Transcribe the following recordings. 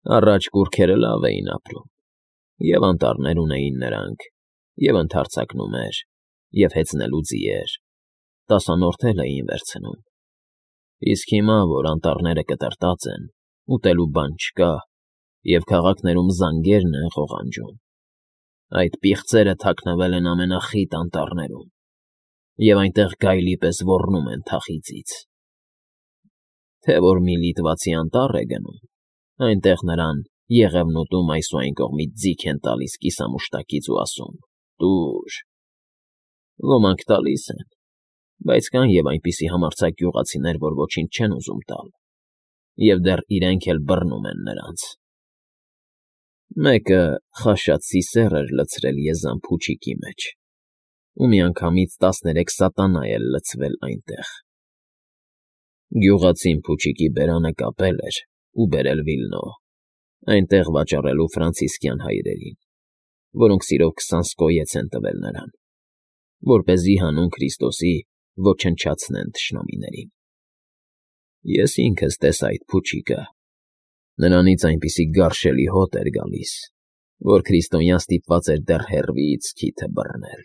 Առաջ կուռքերը լավ էին ապրում, և անտառներ ունեին նրանք, և ընդարձակնումներ, և հեծնելու ձիեր, տասանորդել էին վերցնում, իսկ հիմա, որ անտառները կտրտած են, ուտելու բան չկա, և քաղաքներում զանգերն են ղողանջում, այդ պիղծերը թաքնվել են ամենախիտ անտառներում և այնտեղ գայլի պես ոռնում են թախիծից, թե որ մի լիտվացի անտառ է գնում, այնտեղ նրան Եղևնուտում այս ու այն կողմից ձիգ են տալիս կիսամուշտակից ու ասում. «Տուր»։ Ոմանք տալիս են, բայց կան և այնպիսի համարձակ գյուղացիներ, որ ոչինչ չեն ուզում տալ, և դեռ իրենք էլ բռնում են նրանց։ Մեկը խաշած սիսեռ էր լցրել եզան փուչիկի մեջ, ու միանգամից 13 սատանա էր լցվել այնտեղ։ Գյուղացին փուչիկի բերանը կապել էր ու բերել Վիլնո, այնտեղ վաճառելու ֆրանցիսկյան հայրերին, որոնք սիրով 20 սկոյեց են տվել նրան, որպեսզի հանուն Քրիստոսի ոչնչացնեն թշնամիներին։ Ես ինքս տեսա այդ փուչիկը, նրանից այնպիսի գարշելի հոտ էր գալիս, որ քրիստոնյան ստիպված էր դեռ հեռվից քիթը բռնել,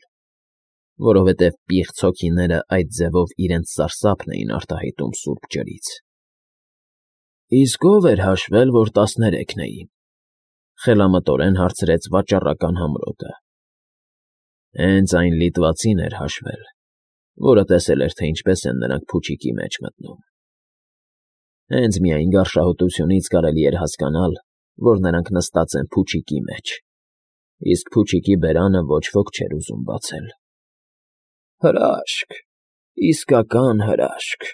որովհետև պիղծ հոգիները այդ ձևով իրենց սարսափն էին արտահայտում սուրբ ջրից։ Իսկ ո՞վ էր հաշվել, որ 13-ն էին, խելամտորեն հարցրեց վաճառական համրոտը։ Հենց այն լիտվացին էր հաշվել, որը տեսել էր, թե ինչպես են նրանք փուչիկի մեջ մտնում։ Հենց միայն գարշահոտությունից կարելի էր հասկանալ, որ նրանք նստած են փուչիկի մեջ, իսկ փուչիկի բերանը ոչ ոք չէր ուզում բացել։ «Հրաշք, իսկական հրաշք»,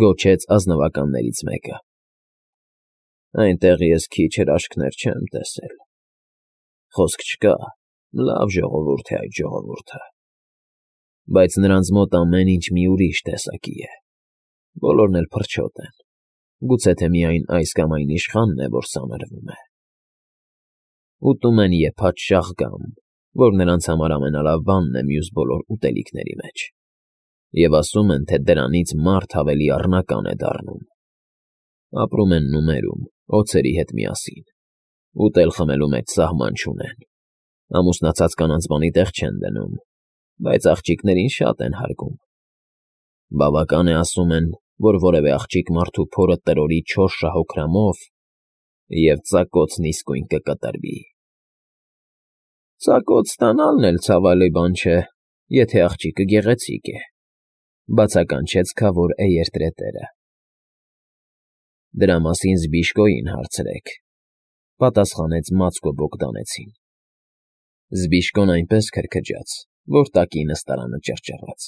գոչեց ազնվականներից մեկը։ Այնտեղ ես քիչ հրաշքներ չեմ տեսել։ Խոսք չկա, լավ ժողովուրդ է այդ ժողովուրդը, բայց նրանց մոտ ամեն ինչ մի ուրիշ տեսակի է, բոլորն էլ փրչոտ են, գուցե թե միայն այս կամ այն իշխանն է, որ սանրվում է։ Ուտում են եփած շաղգամ, որ նրանց համար ամենալավ բանն է մյուս բոլոր ուտելիքների մեջ, և ասում են, թե դրանից մարդ ավելի առնական է դառնում։ Ապրում են նումերում, օձերի հետ միասին, ուտել֊խմելու մեջ սահման չունեն, ամուսնացած կանանց բանի տեղ չեն դնում, բայց աղջիկներին շատ են հարգում։ Բավական է, ասում են, որ որևէ աղջիկ մարդու փորը տրորի 4 շահօգրամով, և ծակոցն իսկույն կկտրվի։ Ծակոց ստանալն էլ ցավալի բան չէ, եթե աղջիկը գեղեցիկ է, բացականչեց քավոր էերտրետերը։ Դրա մասին Զբիշկոյին հարցրեք, պատասխանեց Մացկո Բոգդանեցին։ Զբիշկոն այնպես քրքջաց, որ տակի նստարանը ճռճռաց։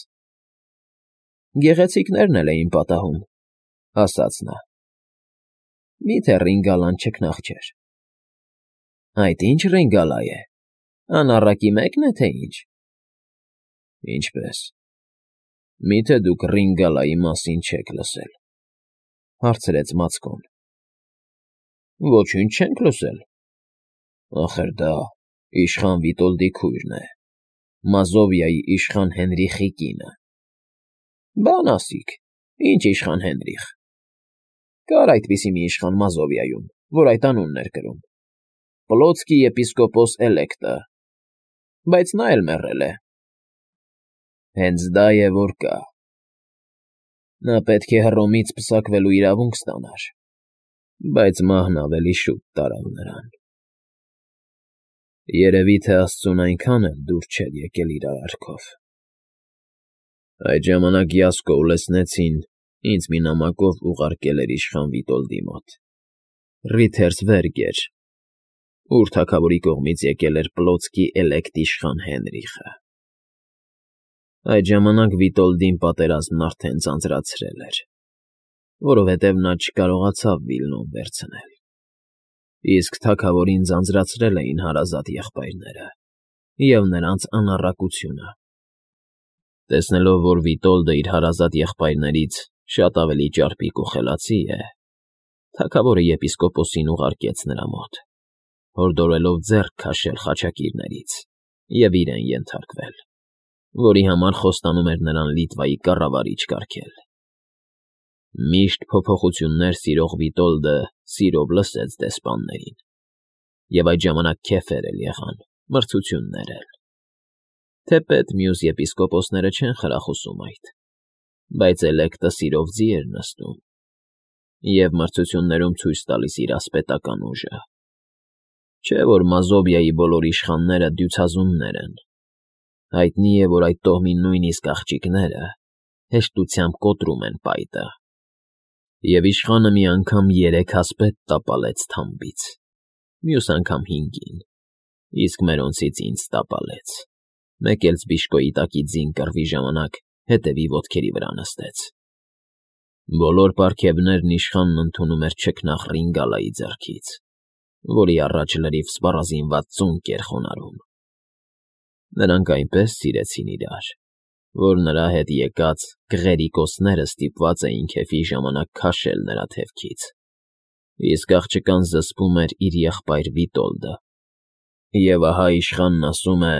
Գեղեցիկներն էլ էին պատահում, ասաց նա։ Միթե Ռինգալան չքնաղ չէր։ Այդ ի՞նչ Ռինգալա է, անառակի մեկն է, թե ինչ։ Ինչպես։ Միթե դուք Ռինգալայի մասին չեք լսել, հարցրեց Մացկոն։ Ոչինչ չենք լսել։ Ախր դա իշխան Վիտոլդի քույրն է, Մազովիայի իշխան Հենրիխի կինը։ Բան ասիք, ինչ իշխան Հենրիխ։ Կար այդպիսի մի իշխան Մազովիայում, որ այդ անունն էր կրում, Պլոցկի եպիսկոպոս էլեկտը, բայց նա էլ մեռել է։ Հենց դա է, որ կա։ Նա պետք է Հռոմից պսակվելու իրավունք ստանար, բայց մահն ավելի շուտ տարավ նրան։ Երևի թե աստծուն այնքան էլ դուր չէր եկել իր արարքով։ Այդ ժամանակ Յասկո Ուլեսնեցին ինձ մի նամակով ուղարկել էր իշխան Վիտոլդի մոտ, Ռիթերսվերգեր, ուր թագավորի կողմից եկել էր Պլոցկի էլեկտ իշխան Հենրիխը։ Այդ ժամանակ Վիտոլդին պատերազմն արդեն ձանձրացրել էր, որովհետև նա չկարողացավ Վիլնոն վերցնել, իսկ թագավորին ձանձրացրել էին հարազատ եղբայրները և նրանց անառակությունը։ Տեսնելով, որ Վիտոլդը իր հարազատ եղբայրներից շատ ավելի ճարպիկ ու խելացի է, թագավորը եպիսկոպոսին ուղարկեց նրա մոտ, հորդորելով ձեռք քաշել խաչակիրներից և իրեն ենթարկվել, որի համար խոստանում էր նրան Լիտվայի կառավարիչ կարգել։ Միշտ փոփոխություններ սիրող Վիտոլդը սիրով լսեց դեսպաններին, և այդ ժամանակ քեֆեր էլ եղան, մրցություններ էլ։ Թեպետ մյուս եպիսկոպոսները չեն խրախուսում այդ, բայց էլեկտը սիրով ձի էր նստում և մրցություններում ցույց տալիս իր ասպետական ուժը։ Չէ՞ որ Մազովիայի բոլոր իշխանները դյուցազուններ են։ Հայտնի է, որ այդ տոհմի նույնիսկ աղջիկները հեշտությամբ կոտրում են պայտը։ Եվ իշխանը մի անգամ 3 ասպետ տապալեց թամբից, մյուս անգամ 5-ին, իսկ մերոնցից ինձ տապալեց, մեկ էլ Զբիշկոյի տակի ձին կռվի ժամանակ հետևի ոտքերի վրա նստեց։ Բոլոր պարգևներն իշխանն ընդունում էր չքնաղ Ռինգալայի ձեռքից, որի առաջ լրիվ սպառազինված ծունկ էր խոնարհում։ Նրանք այնպես սիրեցին իրար, որ նրա հետ եկած գղերիկոսները ստիպված էին քեֆի ժամանակ քաշել նրա թևքից, իսկ աղջկան զսպում էր իր եղբայր Վիտոլդը։ Եվ ահա իշխանն ասում է.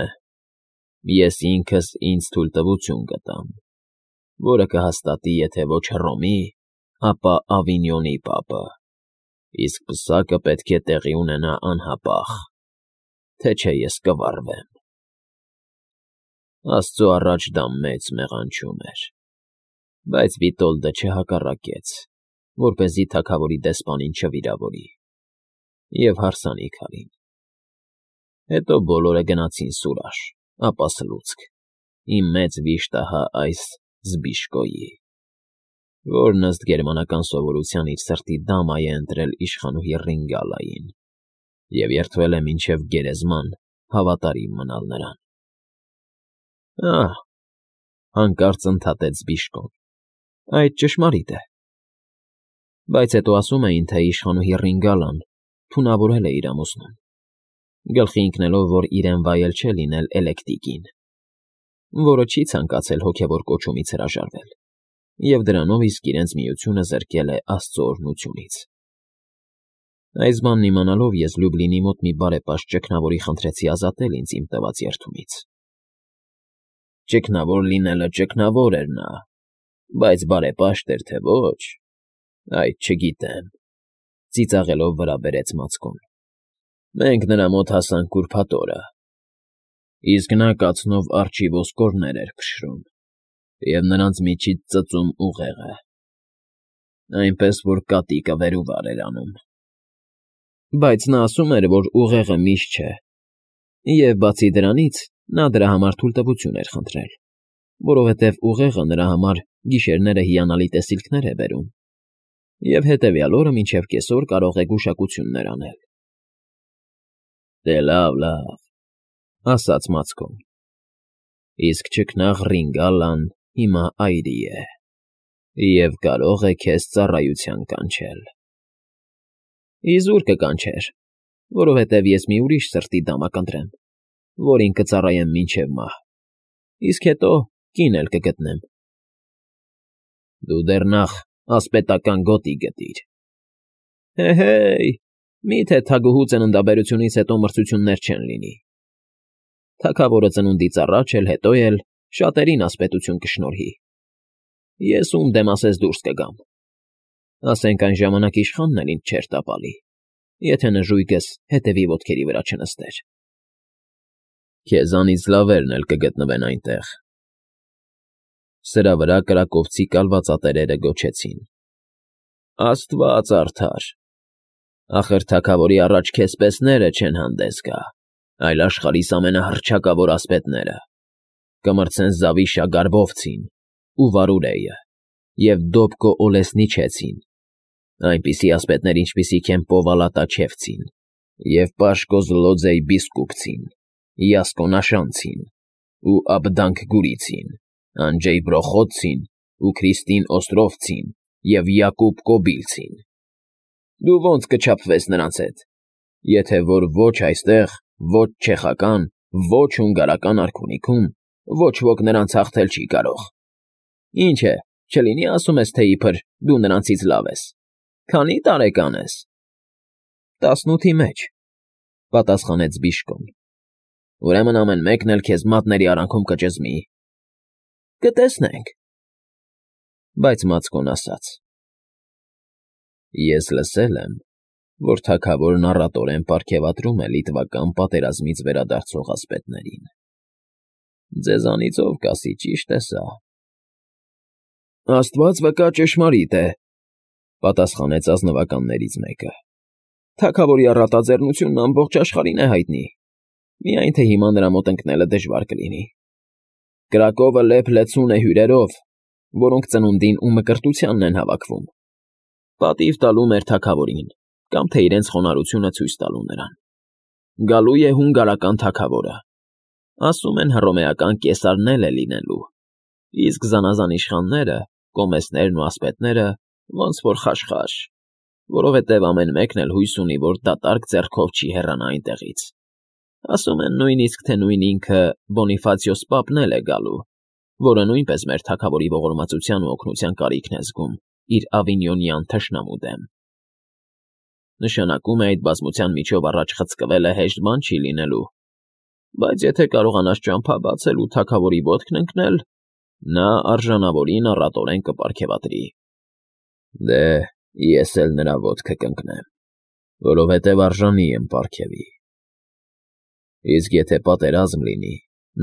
«Ես ինքս ինձ թույլտվություն կտամ, որը կհաստատի եթե ոչ Հռոմի, ապա Ավինյոնի պապը, իսկ պսակը պետք է տեղի ունենա անհապաղ, թե չէ ես կվառվեմ»։ Աստծո առաջ դա մեծ մեղանչում էր, բայց Վիտոլդը չհակառակեց, որպեսզի թագավորի դեսպանին չվիրավորի, և հարսանիք արին։ Հետո բոլորը գնացին Սուրաշ, ապա Սլուցկ, իմ մեծ վիշտ ահա այս Զբիշկոյի, որն ըստ գերմանական սովորության իր սրտի դամա է ընտրել իշխանուհի Ռինգալային և երդվել է մինչև գերեզման հավատարիմ մնալ նրան։ Ահ, հանկարծ ընդհատեց Զբիշկոն, այդ ճշմարիտ է։ Բայց հետո ասում էին, թե իշխանուհի Ռինգալան թունավորել է իր ամուսնուն, գլխի ընկնելով, որ իրեն վայել չէ լինել էլեկտիկին, որը չի ցանկացել հոգևոր կոչումից հրաժարվել, և դրանով իսկ իրենց միությունը զրկել է աստծո օրհնությունից։ Այս բանն իմանալով ես Լյուբլինի մոտ մի բարեպաշտ ճգնավորի խնդրեցի ազատել ինձ իմ տված երդումից։ Ճգնավոր լինելը ճգնավոր էր նա, բայց բարեպաշտ էր թե ոչ, այդ չգիտեմ, ծիծաղելով վրա բերեց Մացկոն։ Մենք նրա մոտ հասանք ուրբաթ օրը, իսկ նա կացնով արջի ոսկորներ էր փշրում և նրանց միջից ծծում ուղեղը, այնպես որ կատիկը վեր ու վար էր անում։ Բայց նա ասում էր, որ ուղեղը միշտ չէ, և բացի դրանից նա դրա համար թույլտվություն էր խնդրել, որովհետև ուղեղը նրա համար գիշերները հիանալի տեսիլքներ է բերում, և հետևյալ օրը մինչև կեսօր կարող է գուշակություններ անել։ Դե լավ, ասաց Մացկոն, իսկ ճգնաղ Ռինգալան հիմա այրի է և կարող է քեզ ծառայության կանչել։ Իզուր կկանչեր, որովհետև ես մի ուրիշ սրտի դամա կընտրեմ, որին կծառայեմ մինչև մահ, իսկ հետո կին էլ կգտնեմ։ Դու դեռ նախ ասպետական գոտի գտիր։ Հե՜, մի՞թե թագուհու ծննդաբերությունից հետո մրցություններ չեն լինի։ Թագավորը ծնունդից առաջ էլ, հետո էլ շատերին ասպետություն կշնորհի։ Ես ում դեմ ասես դուրս կգամ։ Ասենք այն ժամանակ իշխանն էլ ինձ չէր տապալի, եթե նժույգս հետևի ոտքերի վրա չնստեր։ Քեզանից լավերն էլ կգտնվեն այնտեղ։ Սրա վրա կրակովցի կալվածատերերը գոչեցին. Աստված արդար, ախր թագավորի առաջ քեզպեսները չեն հանդես գա, այլ աշխարհիս ամենահռչակավոր ասպետները, կմրցեն Զավիշա Գարբովցին ու Վարուրեյը և Դոբկո Օլեսնիչեցին, այնպիսի ասպետներ, ինչպիսիք են Պովալատաչևցին և Պաշկո Զլոձեյ Բիսկուպցին, Յասկո Նաշանցին ու Աբդանք Գուրիցին, Անջեյ Բրոխոցցին ու Քրիստին Օստրովցին և Յակուբ Կոբիլցին։ Դու ո՞նց կչափվես նրանց հետ, եթե որ ոչ այստեղ, ոչ չեխական, ոչ հունգարական արքունիքում ոչ ոք նրանց հաղթել չի կարող։ Ինչ է, չլինի ասում ես, թե իբր դու նրանցից լավ ես։ Քանի՞ տարեկան ես։ 18-ի մեջ, պատասխանեց Բիշկոն։ Ուրեմն ամեն մեկն էլ քեզ մատների արանքում կճզմի։ Կտեսնենք։ Բայց Մացկոն ասաց. Ես լսել եմ, որ թագավորն առատորեն պարգևատրում է լիտվական պատերազմից վերադարձող ասպետներին։ Ձեզանից ով կասի ճիշտ է սա։ Աստված վկա ճշմարիտ է, պատասխանեց ազնվականներից մեկը։ Թագավորի առատաձեռնությունն ամբողջ աշխարհին է հայտնի, միայն թե հիմա նրա մոտ ընկնելը դժվար կլինի։ Կրակովը լեփ-լեցուն է հյուրերով, որոնք ծնունդին ու մկրտությանն են հավաքվում, պատիվ տալու մեր թագավորին, կամ թե իրենց խոնարհությունը ցույց տալու նրան։ Գալու է հունգարական թագավորը, ասում են հռոմեական կեսարն էլ է լինելու, իսկ զանազան իշխանները, կոմեսներն ու ասպետները ոնց որ խաշխաշ, որովհետև ամեն մեկն էլ հույս ունի, որ դատարկ ձեռքով չի հեռանա այնտեղից։ Ասում են նույնիսկ, թե նույն ինքը Բոնիֆացիոս պապն էլ է գալու, որը նույնպես մեր թագավորի ողորմածության ու օգնության կարիքն է զգում իր ավինյոնյան թշնամու դեմ։ Նշանակում է այդ բազմության միջով առաջ խցկվելը հեշտ բան չի լինելու, բայց եթե կարողանաս ճամփա բացել ու թագավորի ոտքն ընկնել, նա արժանավորին առատորեն կպարգևատրի։ Դե, ես էլ նրա ոտքը կընկնեմ, որովհետև արժանի եմ պարգևի։ Իսկ եթե պատերազմ լինի,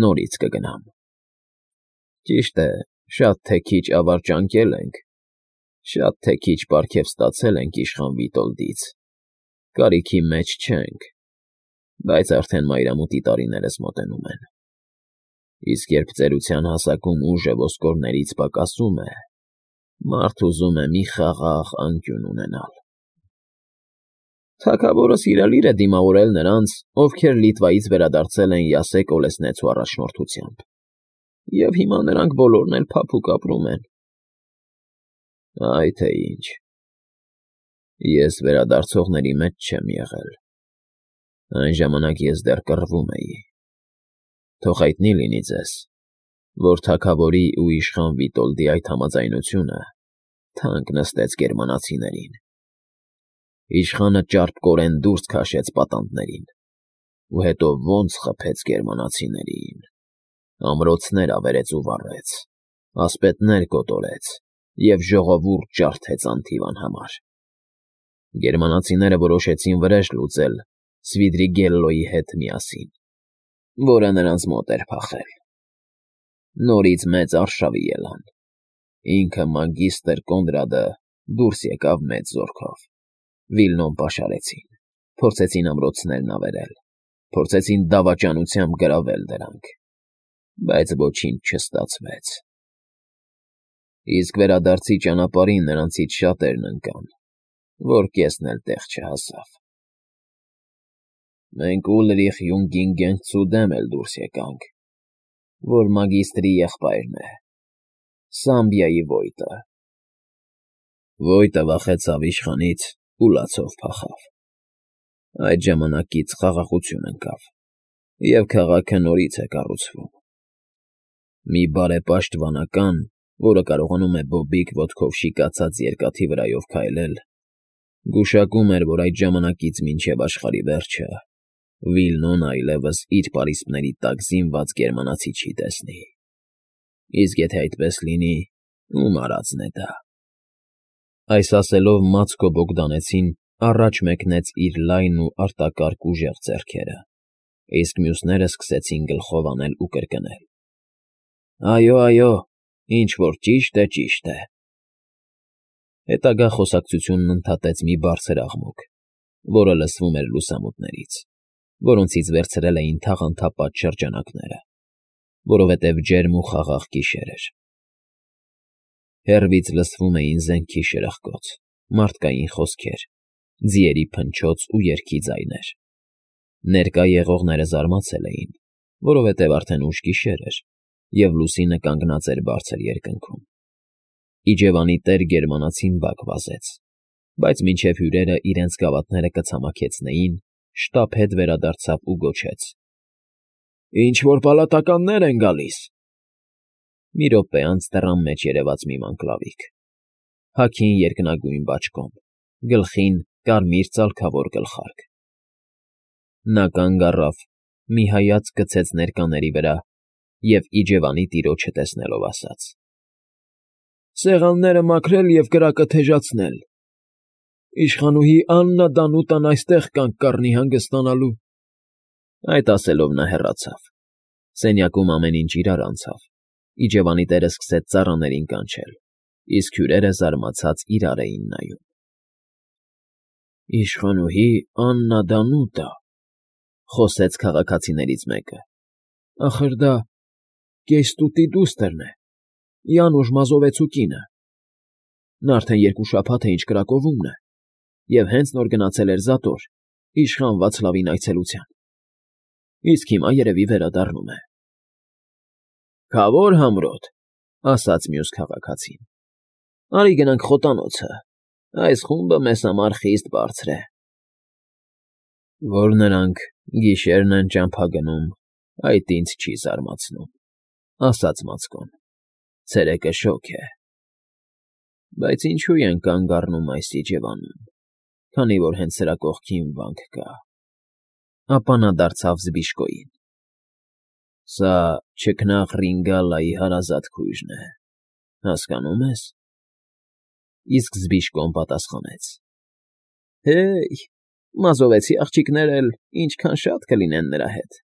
նորից կգնամ։ Ճիշտ է, շատ թե քիչ ավար ճանկել ենք, շատ թե քիչ պարգև ստացել ենք իշխան Վիտոլդից, կարիքի մեջ չենք, բայց արդեն մայրամուտի տարիներս մոտենում են։ Իսկ երբ ծերության հասակում ուժը ոսկորներից պակասում է, մարդ ուզում է մի խաղաղ անկյուն ունենալ։ Թագավորը սիրալիր է դիմավորել նրանց, ովքեր Լիտվայից վերադարձել են Յասեք Օլեսնեցու առաջնորդությամբ, և հիմա նրանք բոլորն էլ փափուկ ապրում են։ Այ թե ինչ։ Ես վերադարձողների մեջ չեմ եղել։ Այն ժամանակ ես դեռ կռվում էի։ Թող հայտնի լինի ձեզ, որ թագավորի ու իշխան Վիտոլդի այդ համաձայնությունը թանկ նստեց գերմանացիներին։ Իշխանը ճարպկորեն դուրս քաշեց պատանդներին, ու հետո ոնց խփեց գերմանացիներին, ամրոցներ ավերեց ու վառեց, ասպետներ կոտորեց և ժողովուրդ ջարդեց անթիվ անհամար։ Գերմանացիները որոշեցին վրեժ լուծել Սվիդրիգելլոյի հետ միասին, որը նրանց մոտ էր փախել։ Նորից մեծ արշավի ելան։ Ինքը մագիստր Կոնրադը դուրս եկավ մեծ զորքով։ Վիլնոն պաշարեցին, փորձեցին ամրոցներն ավերել, փորձեցին դավաճանությամբ գրավել դրանք, բայց ոչինչ չստացվեց։ Իսկ վերադարձի ճանապարհին նրանցից շատերն ընկան, որ կեսն էլ տեղ չհասավ։ Մենք Ուլրիխ Յունգինգենցու դեմ էլ դուրս եկանք, որ մագիստրի եղբայրն է, Սամբիայի ոյտը։ Ոյտը վախեցավ իշխանից ու լացով փախավ։ Այդ ժամանակից խաղաղություն ընկավ, և քաղաքը նորից է կառուցվում։ Մի բարեպաշտ վանական, որը կարողանում է բոբիկ ոտքով շիկացած երկաթի վրայով քայլել, գուշակում էր, որ այդ ժամանակից մինչև աշխարհի վերջը Վիլնոն այլևս իր պարիսպների տակ զինված գերմանացի չի տեսնի։ Իսկ եթե այդպես լինի, ում արածն է դա։ Այս ասելով Մացկո Բոգդանեցին առաջ մեկնեց իր լայն ու արտակարգ ուժեղ ձեռքերը, իսկ մյուսները սկսեցին գլխով անել ու կրկնել. Այո, այո, ինչ որ ճիշտ է, ճիշտ է։ Հետագա խոսակցությունն ընդհատեց մի բարձր աղմուկ, որը լսվում էր լուսամուտներից, որոնցից վերցրել էին թաղանթապատ շրջանակները, որովհետև ջերմ ու խաղաղ գիշեր էր։ Հեռվից լսվում էին զենքի շրխկոց, մարդկային խոսքեր, ձիերի փնչոց ու երգի ձայներ։ Ներկա եղողները զարմացել էին, որովհետև արդեն ուշ գիշեր էր, և լուսինը կանգնած էր բարձր երկնքում։ Իջևանի տեր գերմանացին բակ վազեց, բայց մինչև հյուրերը իրենց գավաթները կցամաքեցնեին, շտապ հետ վերադարձավ ու գոչեց. Ինչ-որ պալատականներ են գալիս։ Մի րոպե անց դռան մեջ երևաց մի մանկլավիկ, հագին երկնագույն բաճկոն, գլխին կարմիր ծալքավոր գլխարկ։ Նա կանգ առավ, մի հայացք գցեց ներկաների վրա և իջևանի տիրոջը տեսնելով ասաց. Սեղանները մաքրել և կրակը թեժացնել։ Իշխանուհի Աննա Դանուտան այստեղ կանգ կառնի հանգստանալու։ Այդ ասելով նա հեռացավ։ Սենյակում ամեն ինչ իրար անցավ։ Իջևանի տերը սկսեց ծառաներին կանչել, իսկ հյուրերը զարմացած իրար էին նայում։ Իշխանուհի Աննա Դանուտա, Խոսեց քաղաքացիներից մեկը։ ախր դա Կեստուտի դուստրն է, Յանուշ Մազովեցու կինը։ Նա արդեն 2 շաբաթ է ինչ Կրակովում է և հենց նոր գնացել էր Զատոր, իշխան Վացլավին այցելության։ Իսկ հիմա երևի վերադառնում է։ Քավոր համրոտ, ասաց մյուս քաղաքացին։ Արի գնանք խոտանոցը, այս խումբը մեզ համար խիստ բարձր է։ Որ նրանք գիշերն են ճամփա գնում, այդ ինձ չի զարմացնում, ասաց Մացկոն։ Ցերեկը շոգ է։ Բայց ինչու են կանգ առնում այս իջևանում, քանի որ հենց սրա կողքին վանք կա։ Ապա նա դարձավ Զբիշկոյին։ Սա չքնաղ Ռինգալայի հարազատ քույրն է, հասկանո՞ւմ ես։ Իսկ Զբիշկոն պատասխանեց. Հեյ, Մազովեցի աղջիկներ էլ ինչքան շատ կլինեն նրա հետ։